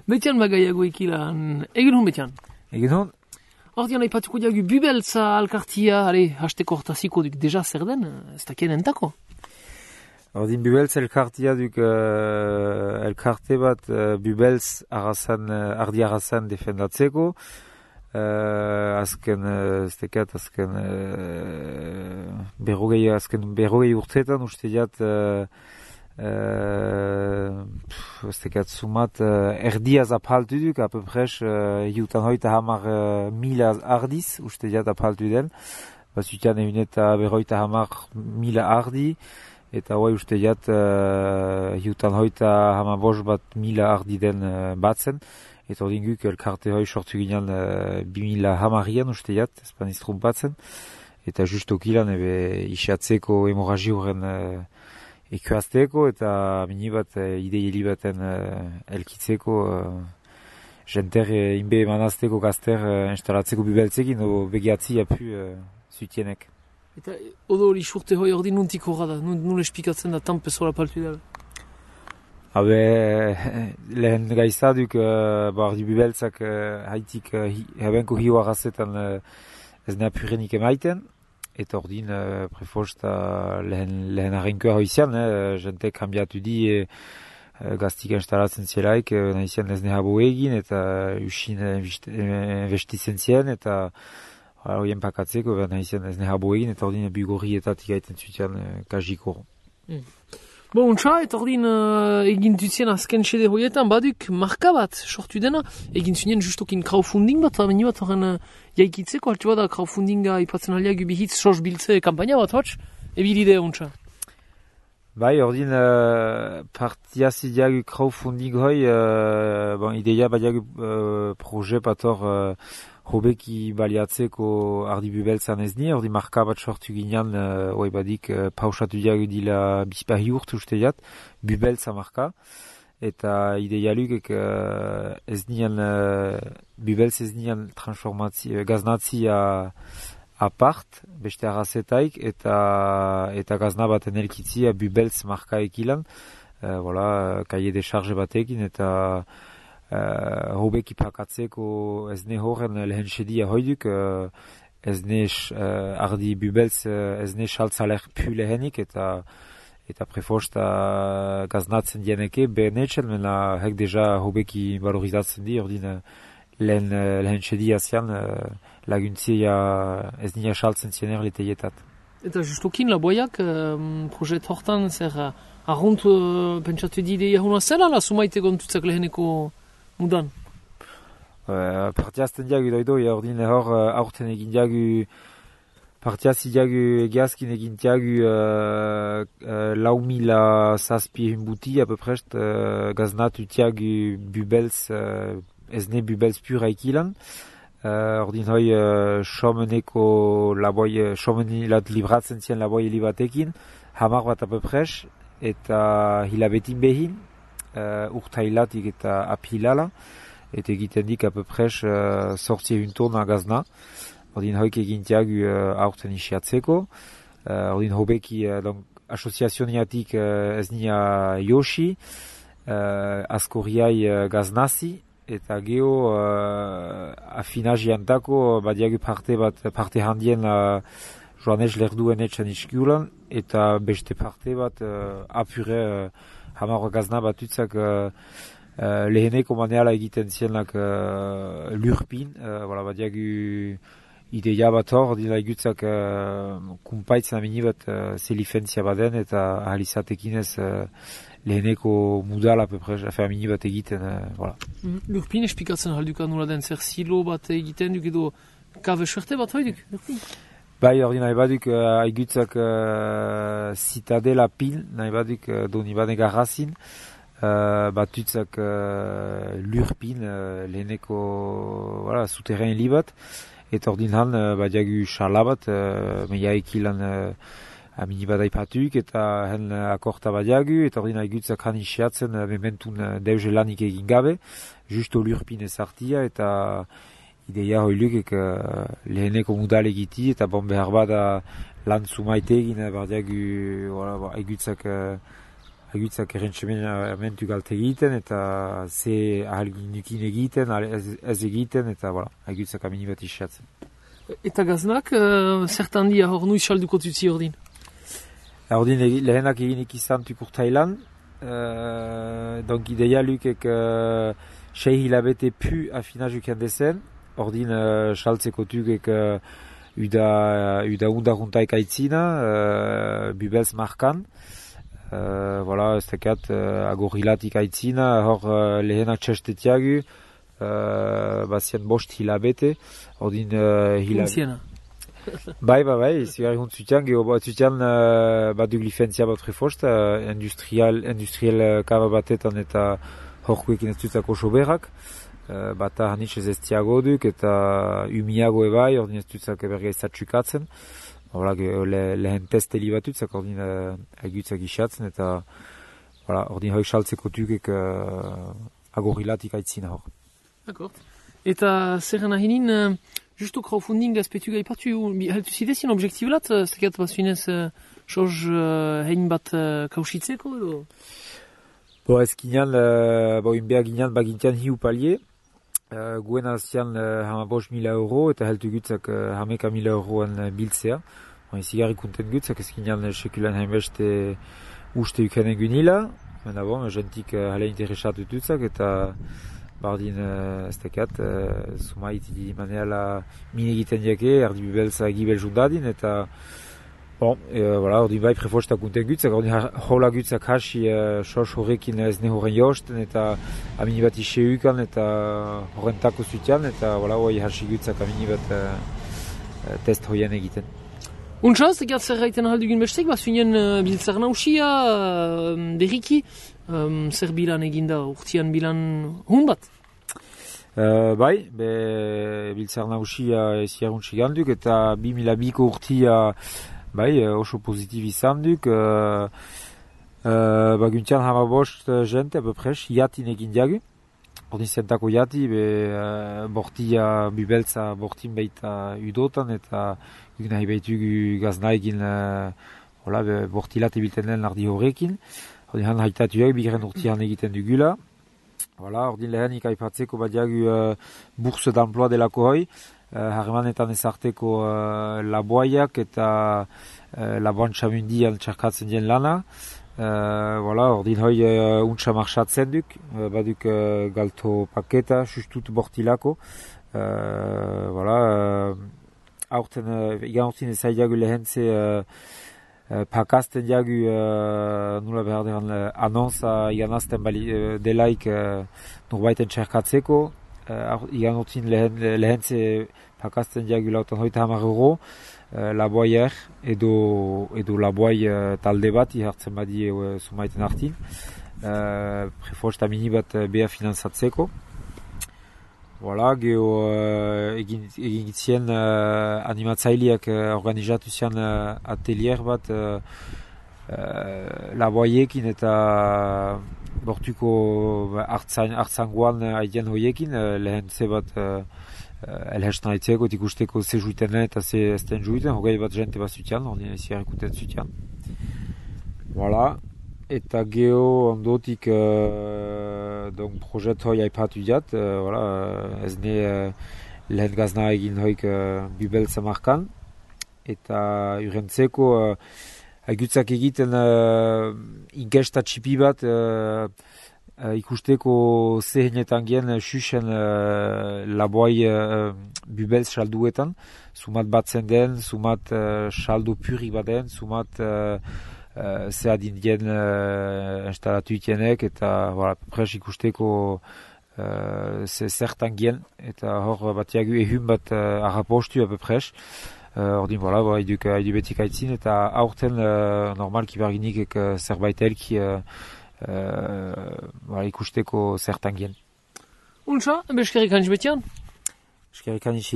Betian bagaiago ikilan, egin hon betian? Egin hon? Ordean aipatuko diagu Bubeltza alkartia, hasteko hortaziko duk deja zer den, ez dakien entako? Ordin Bubeltz elkartia duk elkarte bat Bubeltz ardi arrazan defendatzeko. Azken berrogei urteetan uste jat sumat erdiaz apaltu duk, apepres hiutan hoita hamar mila ardiz uste jat apaltu den, bazutian egin eta berroita hamar mila ardi, eta hoi uste jat hiutan hoita hamar bos bat mila ardi den batzen. Eta ordin guk elkarte hoi sortu ginean 2000 hamarian uste jat, espaniz trumpatzen. Eta justokilan isiatzeko hemorragi horren ekuazteko eta mini bat idei baten elkitzeko jenter inbe emanazteko gazter instalatzeko Bubeltzekin o begiatzi apu zutienek. Eta odo hori surte hoi ordin nuntik horra da, nun espikatzen da tanpezola paltu dela? Lehen gaizaduk ardi Bubeltzak haitik hebenko hiu arrazetan ez napurenik emaiten, eta ordin prefosta lehen arrenkoa hoizian, jente kambiatu di gaztik instalatzen zielaik, nahizian ez nehabo egin, eta usin investitzen zien, eta horien pakatzeko, nahizian ez nehabo egin, eta ordin bugorrietatik gaiten zutian kajiko. Bon, untsa, eta ordin egin duzien azken sede hoietan, baduk marka bat sortu dena, egin zunien justokin crowdfunding bat, meni bat horren jaikitzeko, altu bada crowdfundinga ipatzen aliak ubihitz sos biltze kampaina bat, hotx, ebilidea untsa. Bai, ordin partiazi diagu crowdfunding hoi, ideia badiagu proje pator hobeki baliatzeko ardi Bubeltzan ez ni, ordi marka bat sortu ginean, hoi badik pausatu diagu dila bizpahi urte uste jat, Bubeltza marka, eta ideia lukek ez nian, Bubeltz ez nian gaznatzi apart, beste arrazetaik, eta gazna baten elkitzia Bubeltz marka ekilan, kaie de charge batekin, eta hobeki pakatzeko ez ne horren lehen sedia hoiduk, ez ne ardi Bubeltz ez ne saltzaler pu lehenik, eta prefosta gaznatzen dieneke behenetxen, mena hek deja hobeki valorizatzen di, ordin lehen sedia zian laguntzia ez nina saltzen ziener leteietat. Eta justokin laboiak projet hortan zer arrunt pentsatu di ideia hona zela, la sumaite gontutzak leheneko mudan? Partiazten diagu doidoi, ordin hor aurten egin diagu, partiazi diagu egiazkin egin diagu 4.000 zazpi hunbuti, apeprest gaznatu diagu Bubeltz, ezne Bubeltz pura ikilan. Ordin hoi someneko laboi, somenelat libratzen zien laboi libatekin, hamar bat apepres, eta hilabetin behin, urtailatik eta apilala, eta egiten dik apepres sortzie untona gazna. Ordin hoik egintiagu aurten isiatzeko. Ordin hobeki asoziazioniatik ez nia Yoshi, askorriai gaznazi, eta geho afinaziantako badiagu parte handien joanez lerduen etxan iskiulan, eta beste parte bat apure hamar gazna batutzak leheneko maneala egiten zienak lurpin, badiagu ideia bat hor, dina egutzak kumpaitzen amini bat zelifentzia baden, eta ahalizatekin ez leheneko mudala amini bat egiten. Lurpin espikatzen halduka nola den, zer silo bat egiten duk edo kabe suerte bat hoiduk, lurpin? Bai, hori nahi baduk egutzak Citadela pin, nahi baduk doni baden garrazin, batutzak lurpin leheneko souterrain libat, eta ordin han badiagu charla bat, meiaek ilan amini badai patuk, eta hen akorta badiagu, eta ordin haigutzak han isiatzen mementun deuze lanik egin gabe, justo lurpin ezartia, eta ideia hoilukek leheneko mudal egiti, eta bon behar bada lan sumaite egin, badiagu haigutzak haigutzak errentsementu galte egiten, eta ze ahalginukin egiten, ez egiten, eta haigutzak amini bat isiatzen. Eta gaznak, zertan dia hor nuiz salduko tutzi ordin? Ordin lehenak eginik izan tukurtailan, donc ideia lukek 6 hilabete pu afinajuken dezen, ordin saltzeko tukek uda undaruntaik aitzina, bubelz markan, ez tekat agorilatik aitzina, hor lehenak txestetiagu, bazien 5 hilabete, ordin hilabete. Bai, zigarri hont zutian, zutian bat du glifentzia bat refost, industrial kaba batetan eta horkuekin ez dutzako soberak, bata hanitz ez estiago duk eta umiago ebai, ordin ez dutzak berga izatsukatzen, lehen testeli bat dutzak, ordin haigutzak isatzen, eta ordin hoik saltzeko dukek agorilatik aitzina hor. D'accord. Eta zer nahinin, justo crowdfunding azpetu gaipatu, heltu zidezien objektibelat, zekat bazuinez soz hein bat kausitzeko edo? Ez ginean, inbea ginean bagintian hiu palie, guen azian 15.000 euro eta heltu gutzak 11.000 euroan biltzea. Zigarri konten gutzak ez ginean sekulan hainbeste uste ukenen gunila, jentik hale interesatu dutzak eta bardin ez tekat, sumait maneala mine egiten jake, erdi bibelza gibel jundadin, eta ordin bai prefostak unten gutzak, ordin hola gutzak hasi sos horrekin ez ne horren josten, eta amini bat iseukan, eta horrentako zutian, eta hoi hasi gutzak amini bat test hoien egiten. Untsa, zekat zer gaiten ahaldugun bestek, bazuinen biltzar nausia, berriki, zer bilan eginda, urtian bilan hun bat? Bai, biltzar nausia eziaruntsi ganduk, eta 2002ko urtia oso pozitiv izan duk. Guntian 15 jente, apepres, jatin egin diagu. Ordin zentako jati, bortia bubeltza bortin baita udotan, eta guk nahi baitugu gazna egin bortilat ebilten den ardi horrekin. Ordin han haitatuak, bigren urtian egiten dugula. Ordin lehenik aipatzeko badiagu bourse d'emploi delako hoi, harremanetan ezarteko laboaiak eta laboan txamundian txarkatzen dien lana. Ordin hoi untsa marxatzen duk, baduk galto paketa, sustut bortilako. Aurten, igan urtin ezaidagu lehentze pakazten diagu nula behar deran anonsa iganazten delaik norbaiten txerkatzeko. Igan urtin lehentze pakazten diagu lautan hoita €10 laboaier edo laboai talde bat ihartzen badi sumaiten hartin. Prefosta mini bat beha finanzatzeko. Geho egin gitzien animatzaileak organizatu zian atelier bat laboaiekin eta bortuko hartzangoan haidien hoiekin, lehen ze bat elhestan haitzeko, ikusteko ze juiten eta ze esten juiten, hogei bat jente bat zutian, hori ezi harrikuten zutian. Eta geho ondotik projet hoi haipatu diat, ez ne lehen gazna egin hoik bubeltza markan, eta urentzeko haigutzak egiten inkesta txipi bat ikusteko zehenetan gen xuxen laboai bubeltz salduetan, sumat batzen den, sumat saldo puri baden, sumat ze adin dien instalatu itienek, eta pres ikusteko zertan gen, eta hor batiagu ehun bat arrapostu apepres. Ordin, haidu betik aitzin, eta aurten normalki barginik zerbait elki ikusteko zertan gen. Untsa, beskerik hanitz betian? Beskerik hanitz